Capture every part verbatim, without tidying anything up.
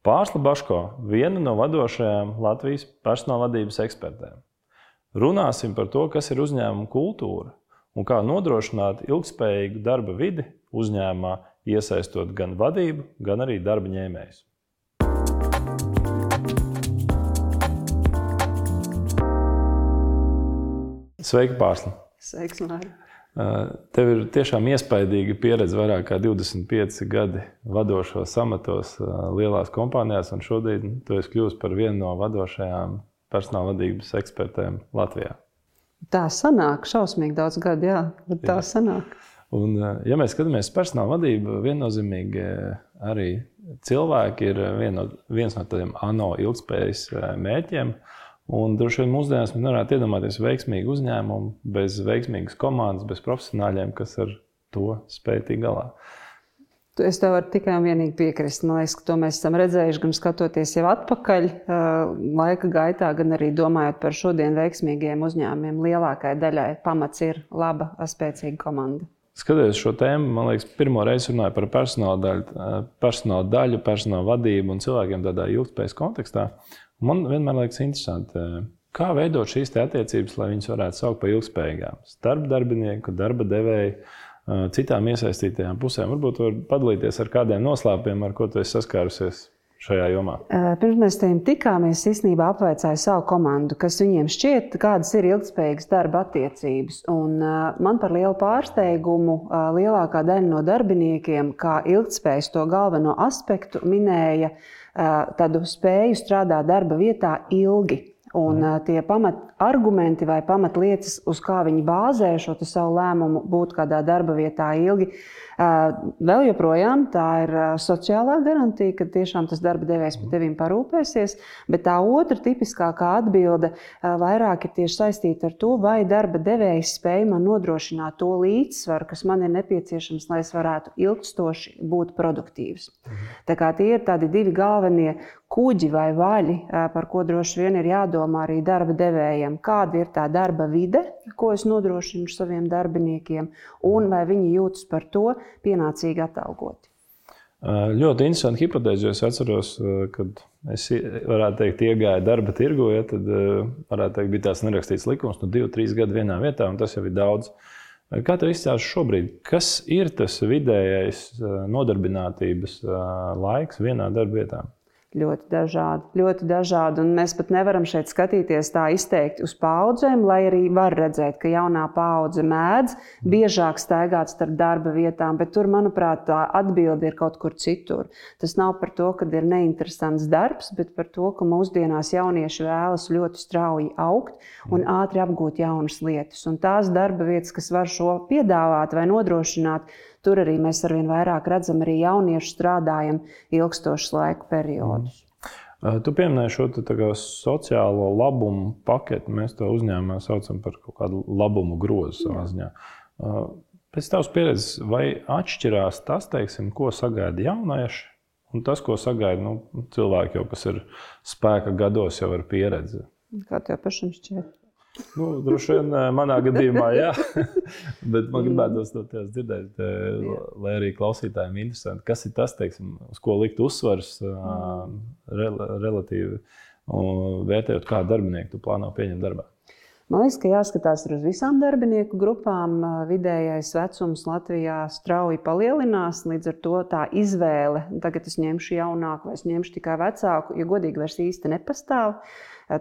Pārsla Baško, viena no vadošajām Latvijas personālvadības ekspertēm. Runāsim par to, kas ir uzņēmuma kultūra un kā nodrošināt ilgspējīgu darba vidi uzņēmumā, iesaistot gan vadību, gan arī darba ņēmējus. Sveiki, Pārsla! Sveiks, Māri! Tev ir tiešām iespaidīga pieredze, vairāk kā divdesmit pieci gadi vadošos amatos lielās kompānijās, un šodien tu esi kļuvusi par vienu no vadošajām personālvadības ekspertēm Latvijā. Tā sanāk, šausmīgi daudz gadu, jā, bet tā jā. sanāk. Un, ja mēs skatāmies personālvadību, viennozīmīgi arī cilvēki ir vien no, viens no tādiem ANO ilgspējas mērķiem. Un droši vien mūsdienās mēs nevarētu iedomāties veiksmīgu uzņēmumu bez veiksmīgas komandas, bez profesionāļiem, kas ar to spēj tikt galā. Es tev varu tikai un vienīgi piekrist. Man liekas, ka to mēs esam redzējuši gan skatoties jau atpakaļ laika gaitā, gan arī domājot par šodien veiksmīgiem uzņēmumiem. Lielākai daļai pamats ir laba, spēcīga komanda. Skatoties šo tēmu, man liekas, pirmo reizi runāju par personāla daļu, personāla daļu, personāla vadību un cilvēkiem tādā ilgspējas kontekstā. Man vienmēr liekas interesanti, kā veidot šīs te attiecības, lai viņas varētu saukt par ilgspējīgām. Starp darbinieku, darba devēju, citām iesaistītajām pusēm. Varbūt var padalīties ar kādiem noslēpumiem, ar ko tu esi saskārusies šajā jomā. Pirms mēs tiem tikāmies, īstenībā apvaicāju savu komandu, kas viņiem šķiet, kādas ir ilgspējīgas darba attiecības. Un man par lielu pārsteigumu lielākā daļa no darbiniekiem, kā ilgtspējas to galveno aspektu, minēja tādu spēju strādāt darba vietā ilgi. Un tie pamat argumenti vai pamatlietas, uz kā viņi bāzē šo savu lēmumu būt kādā darba vietā ilgi, vēl joprojām tā ir sociālā garantija, ka tiešām tas darba devējs par tevīm parūpēsies, bet tā otra tipiskākā atbilde vairāk ir tieši saistīta ar to, vai darba devējs spēj man nodrošināt to līdzsvaru, kas man ir nepieciešams, lai es varētu ilgstoši būt produktīvs. Tā kā tie ir tādi divi galvenie kuģi vai vaļi, par ko droši vien ir jādomā arī darba devējiem. Kāda ir tā darba vide, ko es nodrošinu saviem darbiniekiem, un vai viņi jūtas par to pienācīgi atalgoti. Ļoti interesanti hipotēze, jo es atceros, kad es varētu teikt iegāju darba tirgu, ja, tad varētu teikt, bija tās nerakstīts likums, nu divi, trīs gadi vienā vietā, un tas jau ir daudz. Kā tev izcēlas šobrīd? Kas ir tas vidējais nodarbinātības laiks vienā darba vietā? Ļoti dažādi, ļoti dažādi, un mēs pat nevaram šeit skatīties tā izteikti uz paaudzēm, lai arī var redzēt, ka jaunā paudze mēdz biežāk staigāt starp darba vietām, bet tur, manuprāt, tā atbilde ir kaut kur citur. Tas nav par to, ka ir neinteresants darbs, bet par to, ka mūsdienās jaunieši vēlas ļoti strauji augt un ātri apgūt jaunas lietas. Un tās darba vietas, kas var šo piedāvāt vai nodrošināt, tur arī mēs arvien vairāk redzam arī jauniešu strādājam ilgstošus laiku periodus. Mm. Tu pieminēji šo tā kā sociālo labumu paketi. Mēs to uzņēmumā saucam par kaut kādu labumu grozu savā ziņā. Pēc tavas pieredzes, vai atšķirās tas, teiksim, ko sagaida jaunieši un tas, ko sagaida nu, cilvēki, jau, kas ir spēka gados, jau ar pieredzi? Kā tev pašam šķiet? Nu, droši vien manā gadījumā, jā, bet man gribētos no tevis dzirdēt, lai arī klausītājiem interesanti, kas ir tas, teiksim, uz ko likt uzsvars rel relatīvi vērtējot, kādu darbinieku tu plāno pieņemt darbā? Man liekas, ka jāskatās uz visām darbinieku grupām. Vidējais vecums Latvijā strauji palielinās, līdz ar to tā izvēle, tagad es ņemšu jaunāku vai es ņemšu tikai vecāku, ja godīgi vairs īsti nepastāv.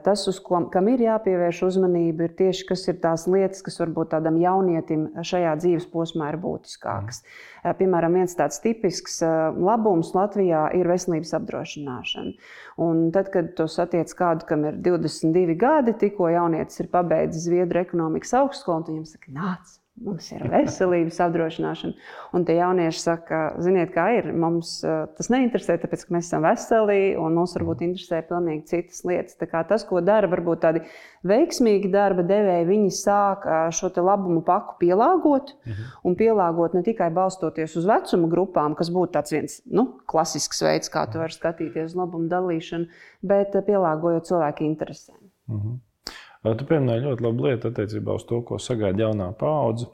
Tas, uz ko, kam ir jāpievērš uzmanība, ir tieši, kas ir tās lietas, kas varbūt tādam jaunietim šajā dzīves posmā ir būtiskākas. Piemēram, viens tāds tipisks labums Latvijā ir veselības apdrošināšana. Un tad, kad tu satiec kādu, kam ir divdesmit divi gadi, tikko jaunietis ir pabeidzis Zviedru ekonomikas augstskolu, un viņam saka, nāc! Mums ir veselības apdrošināšana. Un tie jaunieši saka, ziniet, kā ir, mums tas neinteresē, tāpēc, ka mēs esam veseli un mums varbūt interesē pilnīgi citas lietas. Tā kā tas, ko dara varbūt tādi veiksmīgi darba devēji, viņi sāk šo te labumu paku pielāgot mhm. un pielāgot ne tikai balstoties uz vecuma grupām, kas būtu tāds viens nu, klasisks veids, kā tu vari skatīties uz labumu dalīšanu, bet pielāgojot cilvēku interesēm. Mhm. Tu pieminēji ļoti labu lietu attiecībā uz to, ko sagaida jaunā paudze.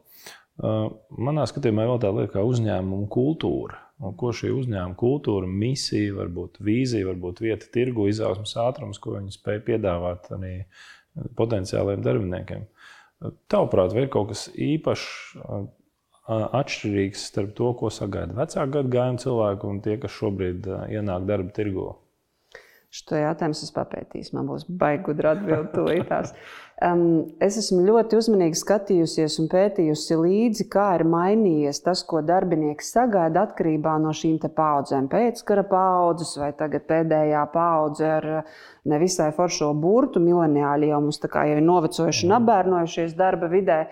Manā skatījumā vēl tā lieta kā uzņēmuma kultūra. un ko šī uzņēmuma kultūra, misija, varbūt vīzija, varbūt vieta tirgu, izaugsmes ātrums, ko viņi spēj piedāvāt arī potenciāliem darbiniekiem. Tavuprāt, vai ir kaut kas īpašs, atšķirīgs starp to, ko sagaida vecāku gadagājumu cilvēku un tie, kas šobrīd ienāk darba tirgu? Šo jautājumu es papētīšu, man būs baigi gudra atbilde tūlītās. Um, es esmu ļoti uzmanīgi skatījusies un pētījusi līdzi, kā ir mainījies tas, ko darbinieks sagaida atkarībā no šīm te paudzēm. Pēckara paudzes vai tagad pēdējā paudze ar nevisai foršo burtu, mileniāļi jau mums tā kā jau ir novecojuši un apbērnojušies darba vidē.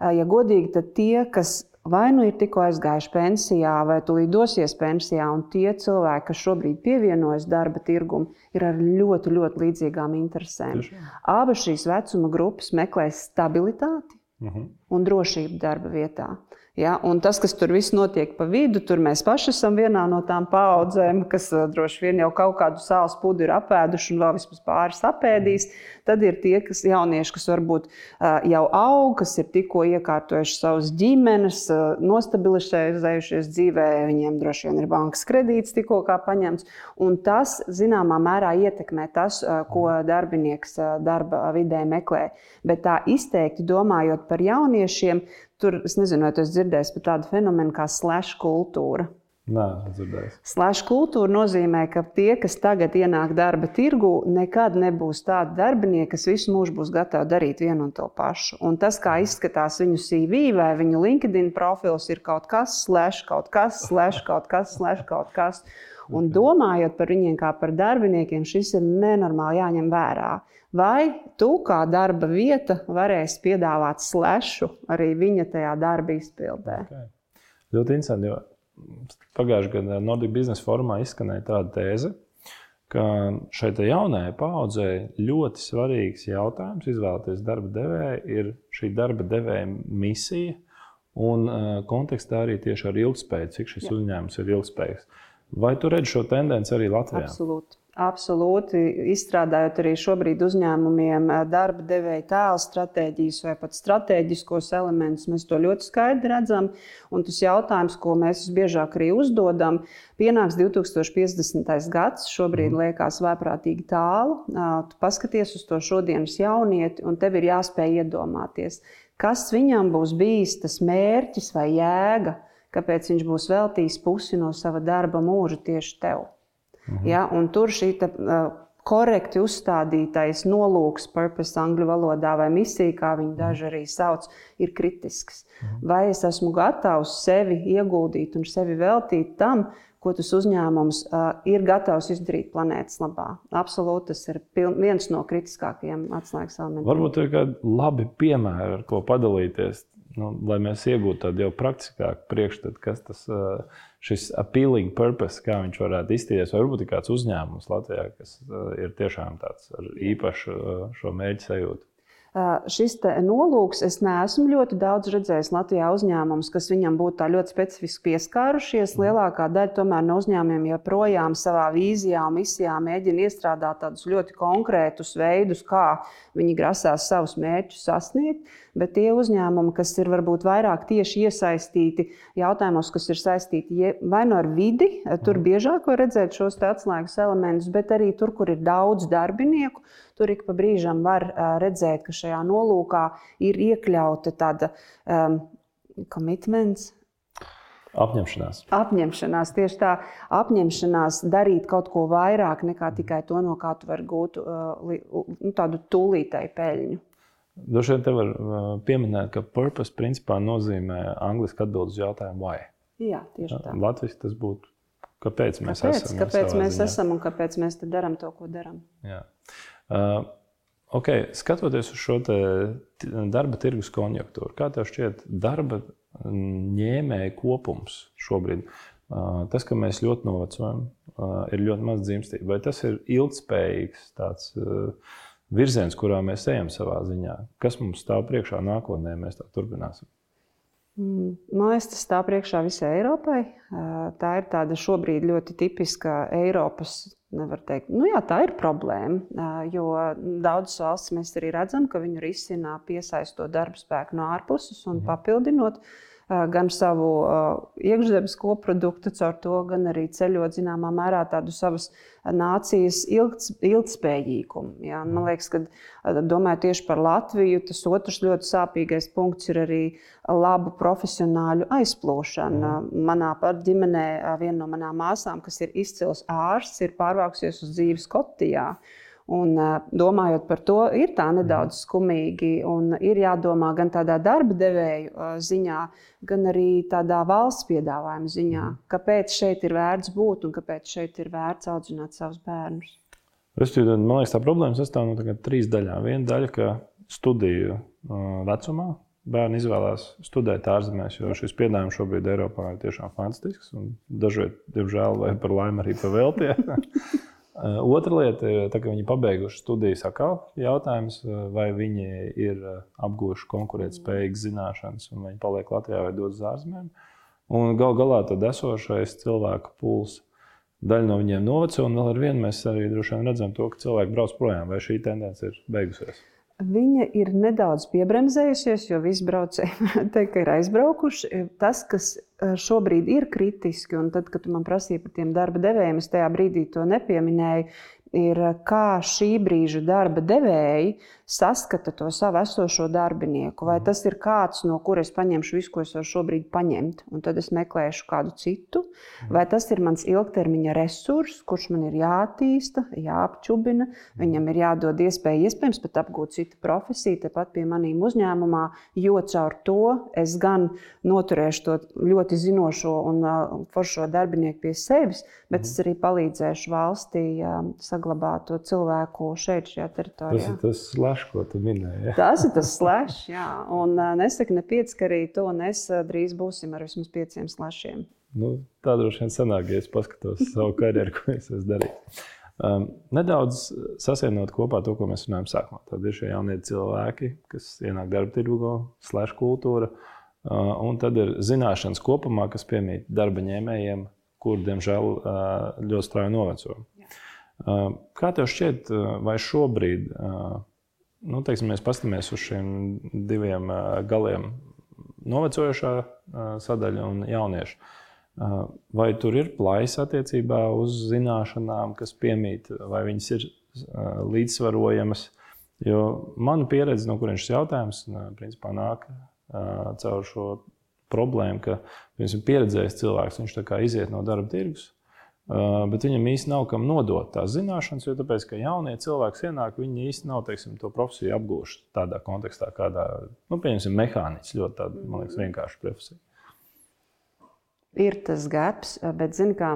Ja godīgi, tad tie, kas vai nu ir tikko aizgājuši pensijā, vai tūlīt dosies pensijā, un tie cilvēki, kas šobrīd pievienojas darba tirgumu, ir ar ļoti, ļoti līdzīgām interesēm. Abas šīs vecuma grupas meklē stabilitāti uh-huh. un drošību darba vietā. Ja, un tas, kas tur viss notiek pa vidu, tur mēs paši esam vienā no tām paaudzēm, kas droši vien jau kaut kādu sāls pudu ir apēduši un vēl vismaz pāris apēdīs. Tad ir tie, kas jaunieši, kas varbūt jau aug, kas ir tikko iekārtojuši savas ģimenes, nostabilizējušies dzīvē, viņiem droši vien ir bankas kredīts tikko kā paņemts. Un tas, zināmā mērā, ietekmē tas, ko darbinieks darba vidē meklē. Bet tā izteikti domājot par jauniešiem, tur, es nezinu, vai tu esi dzirdējis par tādu fenomenu kā slash kultūra. Nē, dzirdējis. Slash kultūra nozīmē, ka tie, kas tagad ienāk darba tirgu, nekad nebūs tādi darbinieki, kas visu mūžu būs gatavi darīt vienu un to pašu. Un tas, kā izskatās viņu C V vai viņu LinkedIn profils, ir kaut kas, slash, kaut kas, slash, kaut kas, slash, kaut kas. Un domājot par viņiem kā par darbiniekiem, šis ir nenormāli jāņem vērā. Vai tu kā darba vieta varēsi piedāvāt slashu arī viņa tajā darba izpildē? Okay. Ļoti interesanti, jo pagājušajā gadā Nordic Business Forumā izskanēja tāda tēze, ka šai jaunajai paaudzei ļoti svarīgs jautājums izvēlēties darba devēju ir šī darba devēja misija un kontekstā arī tieši ar ilgspēju, cik šis Jā. uzņēmums ir ilgspējīgs. Vai tu redzi šo tendenci arī Latvijā? Absolūti. Absolūti. Izstrādājot arī šobrīd uzņēmumiem darba devēja tēla stratēģijas vai pat stratēģiskos elementus, mēs to ļoti skaidri redzam. Un tas jautājums, ko mēs biežāk arī uzdodam, pienāks divi tūkstoši piecdesmitais gads, šobrīd liekas vēprātīgi tālu. Tu paskaties uz to šodienas jaunieti un tev ir jāspēj iedomāties, kas viņam būs bijis tas mērķis vai jēga, kāpēc viņš būs veltījis pusi no sava darba mūža tieši tev. Mhm. Ja, un tur šī ta, uh, korekti uzstādītais nolūks, purpose angļu valodā vai misija, kā viņi daži arī sauc, ir kritisks. Mhm. Vai es esmu gatavs sevi ieguldīt un sevi veltīt tam, ko tas uzņēmums uh, ir gatavs izdarīt planētas labā? Absolūti, tas ir piln, viens no kritiskākajiem atslēgas elementiem. Varbūt ir kādi labi piemēri, ar ko padalīties, nu, lai mēs iegūtu tādu jau praktiskāku priekšstatu, kas tas šis appealing purpose, kā viņš varētu iztīties. Varbūt ir kāds uzņēmums Latvijā, kas ir tiešām tāds ar īpašu šo mērķu sajūtu. Šis nolūks, es neesmu ļoti daudz redzējis Latvijā uzņēmumus, kas viņam būtu tā ļoti specifiski pieskārušies. Lielākā daļa tomēr no uzņēmumiem joprojām savā vīzijā un misijā mēģina iestrādāt tādus ļoti konkrētus veidus, kā viņi grasās savus mērķus sasniegt. Bet tie uzņēmumi, kas ir varbūt vairāk tieši iesaistīti jautājumos, kas ir saistīti vai no ar vidi, tur biežāk var redzēt šos atslēgas elementus, bet arī tur, kur ir daudz darbinieku, tur ik pa brīžam var redzēt, ka šajā nolūkā ir iekļauta tāda um, commitments. Apņemšanās. Apņemšanās, tieši tā, apņemšanās darīt kaut ko vairāk nekā tikai to, no kā tu vari gūt uh, tādu tūlītēju peļņu. Droši vien te var pieminēt, ka purpose principā nozīmē angliski atbild uz jautājumu why. Jā, tieši tā. Latviski tas būtu, kāpēc mēs kāpēc, esam. Kāpēc mēs ziņā. esam un kāpēc mēs te daram to, ko daram. Jā. Uh, ok, skatoties uz šo te darba tirgus konjunktūru, kā tev šķiet darba ņēmēju kopums šobrīd? Uh, tas, ka mēs ļoti novecojam, uh, ir ļoti maz dzimstība. Vai tas ir ilgspējīgs tāds uh, virziens, kurā mēs ejam savā ziņā? Kas mums stāv priekšā nākotnē, mēs tā turpināsim? Man liekas, tas stāv priekšā visai Eiropai. Tā ir tāda šobrīd ļoti tipiska Eiropas, nevar teikt, nu jā, tā ir problēma, jo daudzas valstis mēs arī redzam, ka viņu risina piesaistot darba spēku no ārpuses un papildinot gan savu iekšzemes koproduktu, caur to gan arī ceļot zināmā mērā tādu savas nācijas ilgts, ilgtspējīgumu. Ja? Man liekas, ka domāju tieši par Latviju, tas otrs ļoti sāpīgais punkts ir arī labu profesionāļu aizplūšana. Mm. Manā pat ģimenē viena no manām māsām, kas ir izcils ārsts, ir pārvākusies uz dzīvi Skotijā. Un, domājot par to, ir tā nedaudz skumīgi un ir jādomā gan tādā darba devēju ziņā, gan arī tādā valsts piedāvājuma ziņā, kāpēc šeit ir vērts būt un kāpēc šeit ir vērts audzināt savus bērnus. Man liekas, tā problēma sastāv no tagad trīs daļām. Viena daļa, ka studiju vecumā bērni izvēlās studēt ārzemēs, jo šis piedāvājums šobrīd Eiropā ir tiešām fantastisks un dažreiz, diemžēl, vai par laimi arī pa veltie. Otra lieta ir, tā, ka viņi pabeiguši studijas atkal jautājums, vai viņi ir apguvuši konkurētspējīgas zināšanas un viņi paliek Latvijā vai dodas uz ārzemēm. Un gal galā tad esošais cilvēku puls, daļa no viņiem noveco, un vēl ar vienu mēs arī droši vien redzam to, ka cilvēki brauc projām, vai šī tendence ir beigusies. Viņa ir nedaudz piebremzējusies, jo visi braucēji teikt, ka ir aizbraukuši. Tas, kas šobrīd ir kritiski, un tad, kad tu man prasīji par tiem darba devējiem, es tajā brīdī to nepieminēju, ir kā šī brīža darba devēji saskata to savu esošo darbinieku. Vai tas ir kāds, no kura es paņemšu visu, ko es varu šobrīd paņemt, un tad es meklēšu kādu citu, vai tas ir mans ilgtermiņa resurs, kurš man ir jātīsta, jāapčubina, viņam ir jādod iespēja iespējams pat apgūt citu profesiju, tepat pie manīm uzņēmumā, jo caur to es gan noturēšu to ļoti zinošo un foršo darbinieku pie sevis, bet es arī palīdzēšu valstī saglabāt to cilvēku šeit, šajā teritorijā. Tas ir tas slash, ko tu minēji. Ja? Tas ir tas slash, jā. Un nesaka ne pieci, ka arī to un es drīz būsim ar vismaz pieciem slashiem. Nu, tā droši vien sanāk, ja es paskatos savu karjeru, ko es esmu darījis. Um, nedaudz sasienot kopā to, ko mēs runājam sākumā. Tad ir šie jaunie cilvēki, kas ienāk darba tirgo, slash kultūra, uh, un tad ir zināšanas kopumā, kas piemīt darba ņēmējiem, kur, diemžēl, uh, ļoti strauji noveco. Uh, kā tev šķiet, uh, vai šobrīd, uh, nu, teiksim, mēs paskatāmies uz šiem diviem uh, galiem, novecojošā uh, sadaļa un jaunieši, uh, vai tur ir plaisa attiecībā uz zināšanām, kas piemīt, vai viņas ir uh, līdzsvarojamas? Jo mana pieredze, no kuriem šis jautājums, uh, principā nāk uh, caur šo problēmu, ka piemēram, pieredzējis cilvēks, viņš tā kā iziet no darba tirgus, Uh, bet viņam īsti nav kam nodot tās zināšanas, jo tāpēc, ka jaunie cilvēki ienāk, viņi īsti nav, teiksim, to profesiju apgūši tādā kontekstā, kādā, nu, pieņemsim, mehāniķis, ļoti tāda, man liekas, vienkārša profesija. Ir tas gaps, bet, zini kā,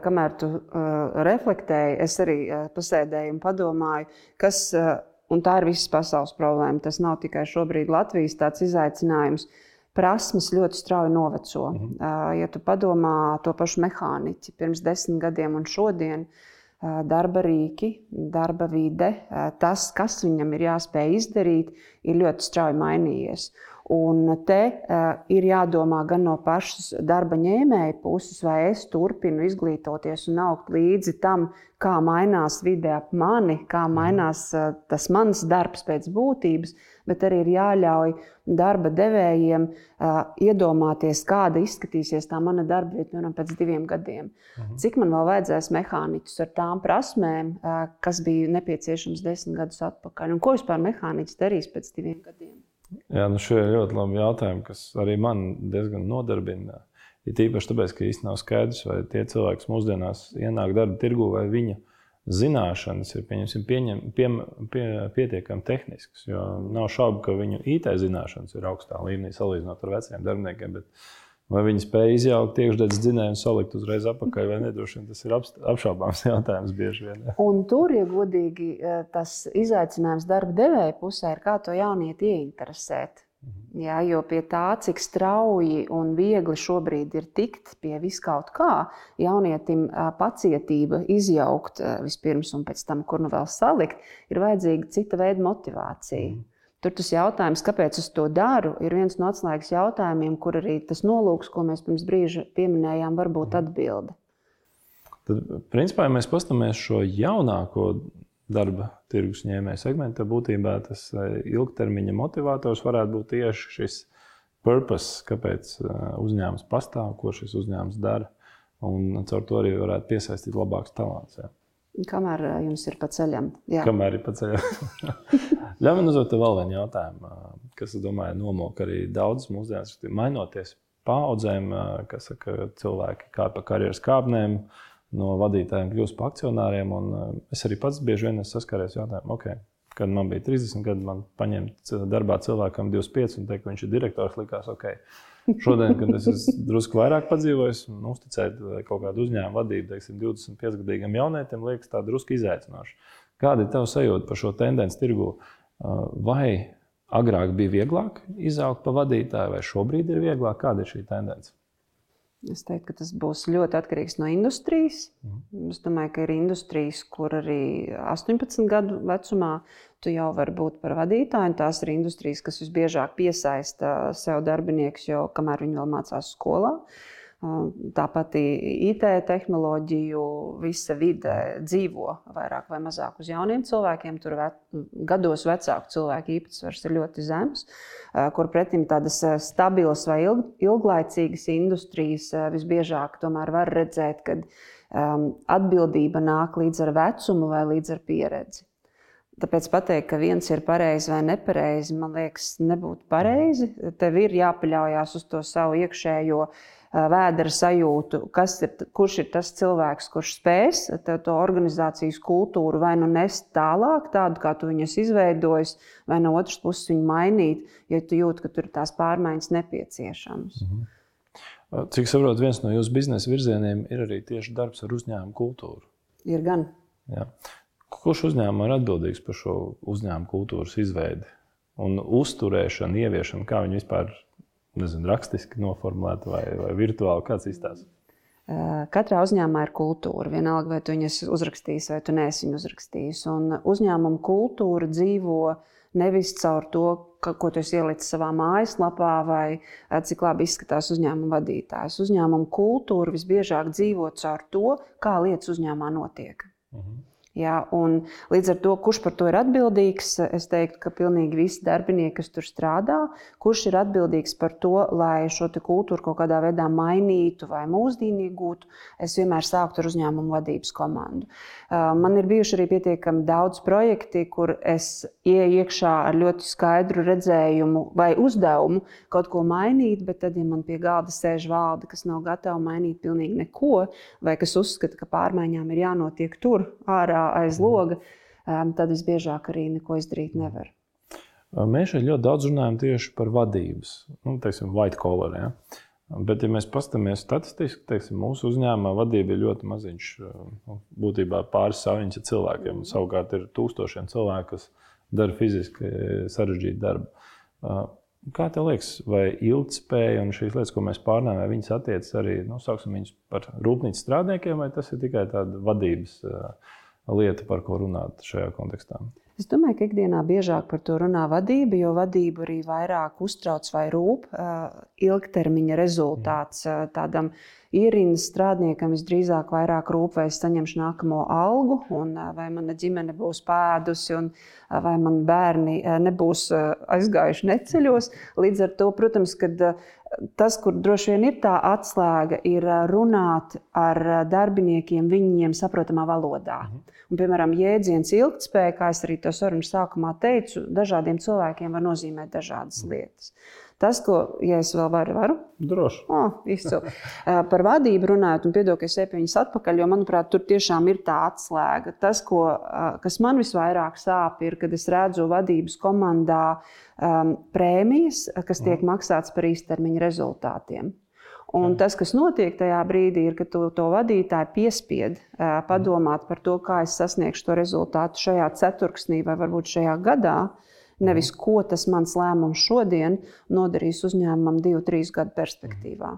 kamēr tu uh, reflektēji, es arī uh, pasēdēju un padomāju, kas, uh, un tā ir visas pasaules problēma, tas nav tikai šobrīd Latvijas tāds izaicinājums. Prasmes ļoti strauji noveco. Mm-hmm. Ja tu padomā to pašu mehāniķi pirms desmit gadiem un šodien, darba rīki, darba vide, tas, kas viņam ir jāspēj izdarīt, ir ļoti strauji mainījies. Un te uh, ir jādomā gan no pašas darba ņēmēja puses, vai es turpinu izglītoties un augt līdzi tam, kā mainās vide ap mani, kā mainās uh, tas mans darbs pēc būtības, bet arī ir jāļauj darba devējiem uh, iedomāties, kāda izskatīsies tā mana darba vieta, piemēram, pēc diviem gadiem. Mhm. Cik man vēl vajadzēs mehāniķus ar tām prasmēm, uh, kas bija nepieciešams desmit gadus atpakaļ, un ko vispār mehāniķis darīs pēc diviem gadiem? Jā, nu šie ir ļoti labi jautājumi, kas arī man diezgan nodarbina. Ir tīpaši tāpēc, ka īsti nav skaidrs, vai tie cilvēki, kas mūsdienās ienāk darba tirgu, vai viņu zināšanas ir pieņemsim, pieņem, pie, pie, pietiekami tehniskas. Jo nav šaubu, ka viņu I T zināšanas ir augstā līmenī salīdzinot ar veciem darbiniekiem, bet vai viņi spēja izjaukt iekšdedzes dzinēju un salikt uzreiz apakaļ vai nedroši vien, tas ir apšaubāms jautājums bieži vien. Ja. Un tur, ja godīgi, tas izaicinājums darba devēja pusē ir, kā to jaunieti ieinteresēt. Mhm. Jā, jo pie tā, cik strauji un viegli šobrīd ir tikt pie viskaut kā, jaunietim pacietība izjaukt vispirms un pēc tam, kur nu vēl salikt, ir vajadzīga cita veida motivācija. Mhm. Tur tas jautājums, kāpēc es to daru, ir viens no atslēgas jautājumiem, kur arī tas nolūks, ko mēs pirms brīža pieminējām, var būt atbilde. Tad, principā, ja mēs paskatāmies šo jaunāko darba tirgus ņēmēju segmentu, tad būtībā tas ilgtermiņa motivators varētu būt tieši šis purpose, kāpēc uzņēmums pastāv, ko šis uzņēmums dara, un caur to arī varētu piesaistīt labākus talants. Jā. Kamēr jums ir pa ceļam. Jā. Kamēr ir pa ceļam. Ļauj man uzdot vēl vienu jautājumu, kas, es domāju, nomok arī daudz mūsdienas, mainoties paaudzēm, kas saka, cilvēki kā pa karjeras kāpnēm, no vadītājiem kļūst pa akcionāriem, un es arī pats bieži vien saskaries jautājumu, ok, kad man bija trīsdesmit gadi, man paņemt darbā cilvēkam divdesmit pieci un teikt, ka viņš ir direktors, likās, ok. Šodien, kad es esmu drusku vairāk padzīvojis un uzticēt kaut kādu uzņēmumu vadību, teiksim, divdesmit piecgadīgam jaunietim, liekas tā drusku izaicinoši. Kāda ir tava sajūta par šo tendenci tirgu? Vai agrāk bija vieglāk izaugt pa vadītāju, vai šobrīd ir vieglāk? Kāda ir šī tendence? Es teiktu, ka tas būs ļoti atkarīgs no industrijas. Mm. Es domāju, ka ir industrijas, kur arī astoņpadsmit gadu vecumā tu jau vari būt par vadītāju. Tās ir industrijas, kas visbiežāk piesaista sev darbiniekus, jo kamēr viņi vēl mācās skolā. Tāpat I T tehnoloģiju visa vide dzīvo vairāk vai mazāk uz jauniem cilvēkiem. Tur ve, gados vecāku cilvēku īpatsvars ir ļoti zems, kur pretim tādas stabilas vai ilg, ilglaicīgas industrijas visbiežāk tomēr var redzēt, kad um, atbildība nāk līdz ar vecumu vai līdz ar pieredzi. Tāpēc pateikt, ka viens ir pareizi vai nepareizi, man liekas, nebūtu pareizi. Tev ir jāpaļaujās uz to savu iekšējo vēdera sajūtu, kas ir, kurš ir tas cilvēks, kurš spēs to organizācijas kultūru vai nu nest tālāk, tādu, kā tu viņus izveidojis, vai no otras puses viņu mainīt, ja tu jūti, ka tur ir tās pārmaiņas nepieciešamas. Mhm. Cik saprot, viens no jūsu biznesa virzieniem ir arī tieši darbs ar uzņēmumu kultūru? Ir gan. Jā. Kurš uzņēmumā ir atbildīgs par šo uzņēmumu kultūras izveidi un uzturēšanu, ieviešanu, kā viņi vispār, nezinu, rakstiski noformulēti vai, vai virtuāli, kāds izstāsta? Katrā uzņēmumā ir kultūra, vienalga vai tu viņas uzrakstījis vai tu neesi viņu uzrakstījis. Un uzņēmuma kultūra dzīvo nevis caur to, ka, ko tu esi ielicis savā mājaslapā vai cik labi izskatās uzņēmuma vadītājs. Uzņēmuma kultūra visbiežāk dzīvo caur to, kā lietas uzņēmumā notiek. Mhm. Jā, un līdz ar to, kurš par to ir atbildīgs, es teiktu, ka pilnīgi visi darbinieki, kas tur strādā, kurš ir atbildīgs par to, lai šo te kultūru kaut kādā veidā mainītu vai mūsdīnīgūtu, es vienmēr sāktu ar uzņēmumu vadības komandu. Man ir bijuši arī pietiekami daudz projekti, kur es ieeju iekšā ar ļoti skaidru redzējumu vai uzdevumu kaut ko mainīt, bet tad, ja man pie galda sēž valde, kas nav gatava mainīt pilnīgi neko, vai kas uzskata, ka pārmaiņām ir jānotiek tur, ārā, aiz loga, tad visbiežāk arī neko izdarīt nevar. Mēs šeit ļoti daudz runājam tieši par vadības, nu, teiksim, white collar, ja? Bet, ja mēs paskatāmies statistiski, teiksim, mūsu uzņēmumā vadība ir ļoti maziņš, būtībā pāris saviņas ar cilvēkiem, un savukārt ir tūkstošiem cilvēku, kas dara fiziski sarežģītu darbu. Kā tev liekas, vai ilgtspēja un šīs lietas, ko mēs pārnājam, vai viņas attiecas arī, nu, sauksim viņus par rūpnīcas strādniekiem, vai tas ir tikai tāda vadības lieta, par ko runāt šajā kontekstā? Es domāju, ka ikdienā biežāk par to runā vadība, jo vadība arī vairāk uztrauc vai rūp ilgtermiņa rezultāts. Tādam ierindas strādniekam visdrīzāk vairāk rūp, vai es saņemšu nākamo algu, un vai mana ģimene būs pēdusi, un vai man bērni nebūs aizgājuši neceļos. Līdz ar to, protams, kad tas, kur droši vien ir tā atslēga, ir runāt ar darbiniekiem viņiem saprotamā valodā. Un, piemēram, jēdziens ilgtspēja, kā es arī to sarunu sākumā teicu, dažādiem cilvēkiem var nozīmēt dažādas lietas. Tas, ko, ja es vēl varu, varu? Droši. O, izcili. Par vadību runājot, un piedod, ka es eju pie viņas atpakaļ, jo, manuprāt, tur tiešām ir tā atslēga. Tas, ko, kas man visvairāk sāp, ir, kad es redzu vadības komandā um, prēmijas, kas tiek maksāts par īstermiņa rezultātiem. Un tas, kas notiek tajā brīdī, ir, ka tu to vadītāju piespied uh, padomāt par to, kā es sasniegšu to rezultātu šajā ceturksnī vai varbūt šajā gadā, nevis ko tas mans lēmums šodien nodarīs uzņēmumam divu, trīs gadu perspektīvā.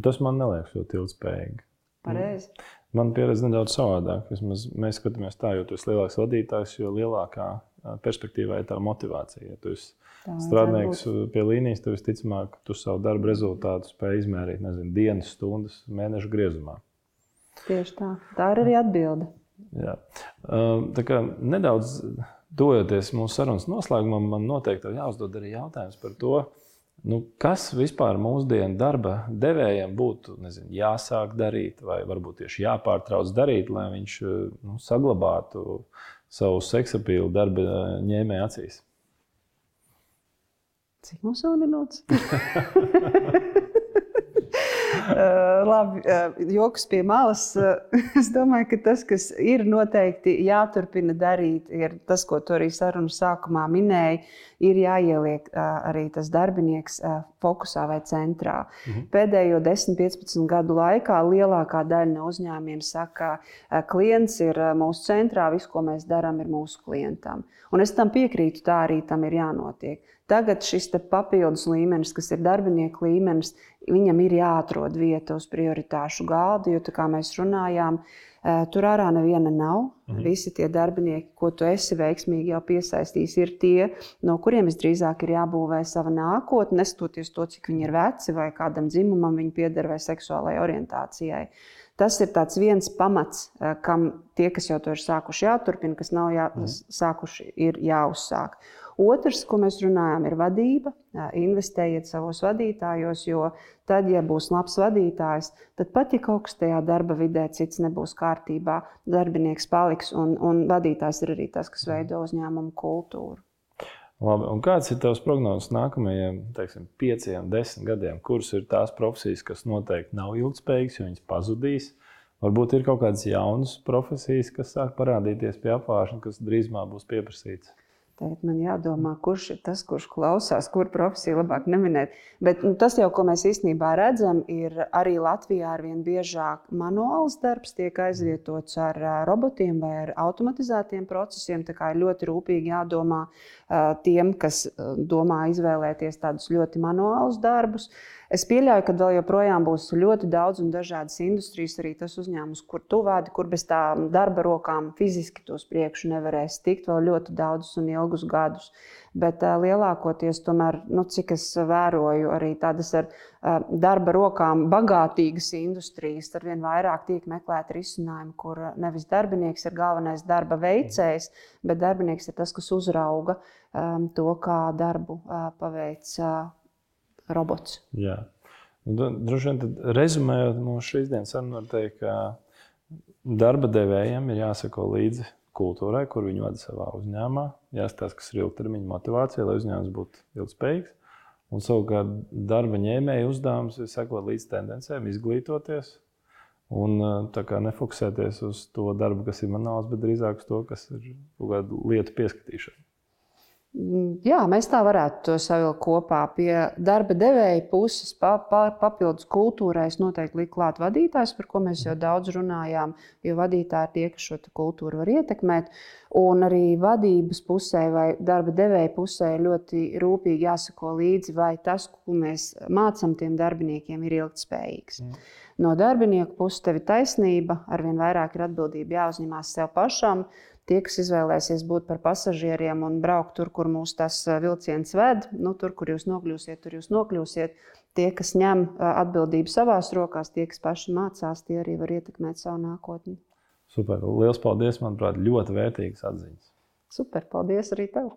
Tas man neliekas ļoti ilgspējīgi. Pareizi. Man pieredze nedaudz savādāk. Vismaz mēs skatāmies tā, jo tu esi lielāks vadītājs, jo lielākā perspektīvā ir tā motivācija. Ja tu esi tā, strādnieks pie līnijas, tev visticamāk, tu savu darbu rezultātu spēj izmērīt, nezinu, dienas, stundas, mēnešu griezumā. Tieši tā. Tā ir arī atbilde. Jā. Tā kā nedaudz dojoties mūsu sarunas noslēgumam, man noteikti jāuzdod arī jautājums par to, Nu, kas vispār mūsdienu darba devējiem būtu nezinu, jāsāk darīt, vai varbūt tieši jāpārtrauc darīt, lai viņš nu, saglabātu savu seksapīlu darba ņēmēju acīs? Cik mums vēl minūtes? Uh, labi, uh, joks pie malas. Uh, es domāju, ka tas, kas ir noteikti jāturpina darīt, ir tas, ko tu arī sarunas sākumā minēji, ir jāieliek uh, arī tas darbinieks uh, fokusā vai centrā. Mhm. Pēdējo desmit piecpadsmit gadu laikā lielākā daļa no uzņēmumiem saka, ka uh, klients ir uh, mūsu centrā, viss, ko mēs darām, ir mūsu klientam. Un es tam piekrītu, tā arī tam ir jānotiek. Tagad šis papildus līmenis, kas ir darbinieku līmenis, viņam ir jāatrod vieta uz prioritāšu galda, jo, tā kā mēs runājām, tur ārā neviena nav. Mhm. Visi tie darbinieki, ko tu esi veiksmīgi jau piesaistījis, ir tie, no kuriem visdrīzāk ir jābūvē sava nākotne, neskatoties to, cik viņi ir veci vai kādam dzimumam viņi pieder vai seksuālajai orientācijai. Tas ir tāds viens pamats, kam tie, kas jau to ir sākuši, jāturpina, kas nav jā, mhm. sākuši, ir jāuzsāk. Otrs, ko mēs runājam, ir vadība. Investējiet savos vadītājos, jo tad, ja būs labs vadītājs, tad pat, ja kaut kas tajā darba vidē cits nebūs kārtībā, darbinieks paliks un, un vadītājs ir arī tas, kas veido uzņēmumu kultūru. Labi, un kāds ir tavs prognozes nākamajiem, teiksim, pieciem, desmit gadiem? Kuras ir tās profesijas, kas noteikti nav ilgspējīgas, jo viņas pazudīs? Varbūt ir kaut kādas jaunas profesijas, kas sāk parādīties pie apvāršana, kas drīzumā būs pieprasītas. Tagad man jādomā, kurš ir tas, kurš klausās, kur profesiju labāk neminēt. Bet nu, tas jau, ko mēs īstenībā redzam, ir arī Latvijā arvien biežāk manuāls darbs tiek aizvietots ar robotiem vai ar automatizētiem procesiem. Tā kā ir ļoti rūpīgi jādomā tiem, kas domā izvēlēties tādus ļoti manuālus darbus. Es pieļauju, ka vēl joprojām būs ļoti daudz un dažādas industrijas, arī tas uzņēmums, kur tu vādi, kur bez tā darba rokām fiziski tos priekšu nevarēs tikt vēl ļoti daudzus un ilgus gadus. Bet uh, lielākoties, tomēr, nu, cik es vēroju, arī tādas ar uh, darba rokām bagātīgas industrijas, arvien vairāk tiek meklēt risinājumu, kur nevis darbinieks ir galvenais darba veicējs, bet darbinieks ir tas, kas uzrauga um, to, kā darbu uh, paveic uh, robots. Jā. Droši vien tad rezumējot mūsu šīs dienas sarunu, var teikt, ka darba devējiem ir jāsako līdzi kultūrai, kur viņi vada savā uzņēmumā. Jāskatās, kas ir ilgtermiņa motivācija, lai uzņēmums būtu ilgspējīgs. Un savukārt darba ņēmēja uzdevums ir sekot līdz tendencēm, izglītoties un tā kā nefokusēties uz to darbu, kas ir manuāls, bet drīzāk uz to, kas ir kaut kāda lietu pieskatīšana. Jā, mēs tā varētu to savilkt kopā. Pie darba devēja puses pa, pa, papildus kultūrai es noteikti liku klāt vadītājs, par ko mēs jau daudz runājām, jo vadītāji ir tie, kas šo kultūru var ietekmēt. Un arī vadības pusē vai darba devēja pusē ļoti rūpīgi jāsako līdzi, vai tas, ko mēs mācam tiem darbiniekiem, ir ilgtspējīgs. Mm. No darbinieku puses tev ir taisnība, arvien vairāk ir atbildība jāuzņemās sev pašam. Tie, kas izvēlēsies būt par pasažieriem un braukt tur, kur mūs tas vilciens ved, nu, tur, kur jūs nokļūsiet, tur jūs nokļūsiet. Tie, kas ņem atbildību savās rokās, tie, kas paši mācās, tie arī var ietekmēt savu nākotni. Super, liels paldies, manuprāt, ļoti vērtīgas atziņas. Super, paldies arī tev.